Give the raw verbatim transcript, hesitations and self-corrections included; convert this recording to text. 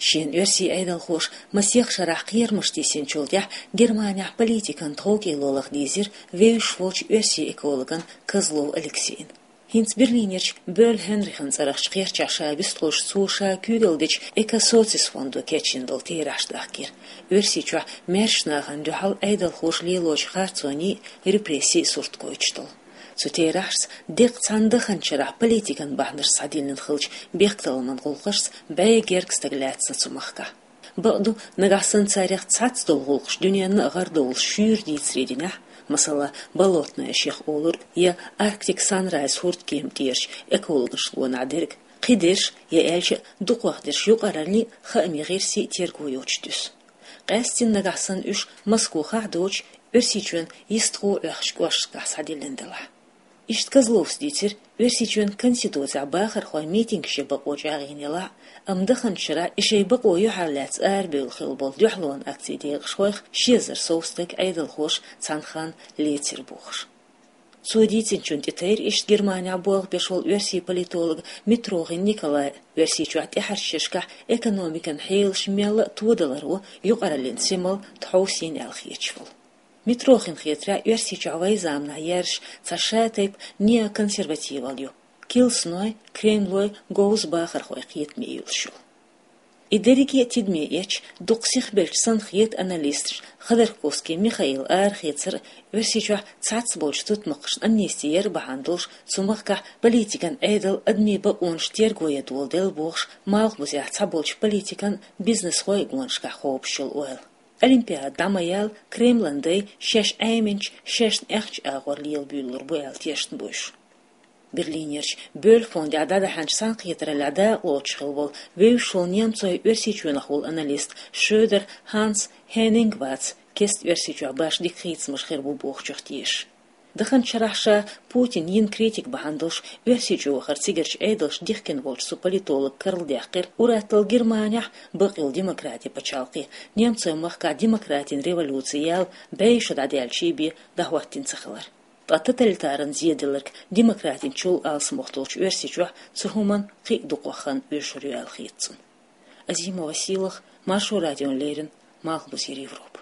Шен оьрсийн Ӏедалхоша масех шарахь кхерамаш тийсинчул тӀаьхьа Германехь политикан тховкӀело лаха дийзира вевзаш волчу оьрсийн экологна Козлов Алексейна. ХӀинца Берлинерчу Бёль Хенрихьан цӀарахчу кхерчахь ша вистхуьлуш цо ша куьйгалла дечу Экосоцис фондо кечйина долу терахьаш дахкийра. Оьрсийчохь маьршачу нахана дуьхьал Ӏедалхоша лелочу харцонийн, репрессийн сурт гойтуш долу. Цу терахьашца деккъа цхьана даханчу шарахь политикан бахьанаш схьадиллина хиллачу бехктакхаман гӀуллакхашца бӀе гергга стаг лаьцна цу махкахь. Бакъду, нагахь санна царех цхьацца долу гӀуллакхаш дуьненна а гӀардовлуш шуьйра дийцаре динехь, масала, Болотная шех олург я Arctic Sunrise хӀурдкема тӀерачу экологашна гонахь дерг, кхидерш, я аьлча а дукхахдерш юкъараллин, хаамийн гӀирсийн терго йоцуш дуьсу. Къаьсттина нагахь санна уьш Москвахь а доцуш, Оьрсийчоьнан йистехула Ӏохкучу кӀошташкахь схьадиллина делахь. Иштта Козловс дийцира, Оьрсийчоьнан Конституцехь бахархойн митингаш ян бакъо чӀагӀйина елахь а, амма даханчу шарахь и шайн бакъо юьхьарлаьцна арабевлла хилла болу дуьхьалонан акцийн декъашхойх ши эзар сов стаг Ӏедалхоша цхьана ханна лецира бохуш. Цо дийцинчунна тӀетайра иштта Германехь болх беш волу оьрсийн политолог Митрохин Николай, Оьрсийчохь тӀаьхьарчу шерашкахь экономикан хьелаш мелла а тодаларо юкъараллин симал тхьовсийна аьлла хеташ волу. Митрохинна хетарехь, Оьрсийчохь вайн заманахь яьржаш цхьа шатайпа неоконсервативалла ю, килсаной, Кремлой говза бахархойн кхетаме юьйлуш йолу. И дерриге а тидаме эцча, дукха сихбелча санна хета аналисташна Ходорковский Михаила арахецар а, Оьрсийчохь цхьацца болчу тутмакхашна амнисти яр а бахьана долуш, цу махкахь политикан Ӏедал адамийн бакъонаш терго ян доладелла бохуш, Малхбузехь цхьаболчу политикан, бизнесхойн гонашкахь кхобуш йолу ойла. Олимпиада дӀа ма яьлла, Кремлан дай шаьш Ӏеминчу, шаьшна аьхначу агӀор лела буьйлалур бу аьлла тешна бу уьш. Берлинерчу Бёль фондехь дӀадахьанчу цхьаьнакхетараллехь дакъалоцуш хилла волу вевзаш волу немцойн Оьрсийчоьнах волу аналист Шрёдер Ханс Хеннинг вац кеста Оьрсийчохь башха дика хийцамаш хир бу бохучух тешаш. Даханчу шарахь ша Путин йина критика бахьана долуш Оьрсийчу вахар цигарчу Ӏедалша дихкина волчу цу политолога карладаьккхира ур-атталла Германехь, бакъйолу демократин пачхьалкхе, немцойн махкахь демократин революци яьлла бӀе шо дӀадаьлча бен дӀахӀоттийна ца хилар. Ткъа тоталитаран зеделларг демократинчул алсамох долчу Оьрсийчохь цу хӀуманна кхин а дукхах хан оьшур ю аьлла хета цунна. Азимова Сийлаха, Маршо радиона леррина, Малхбузера Европа.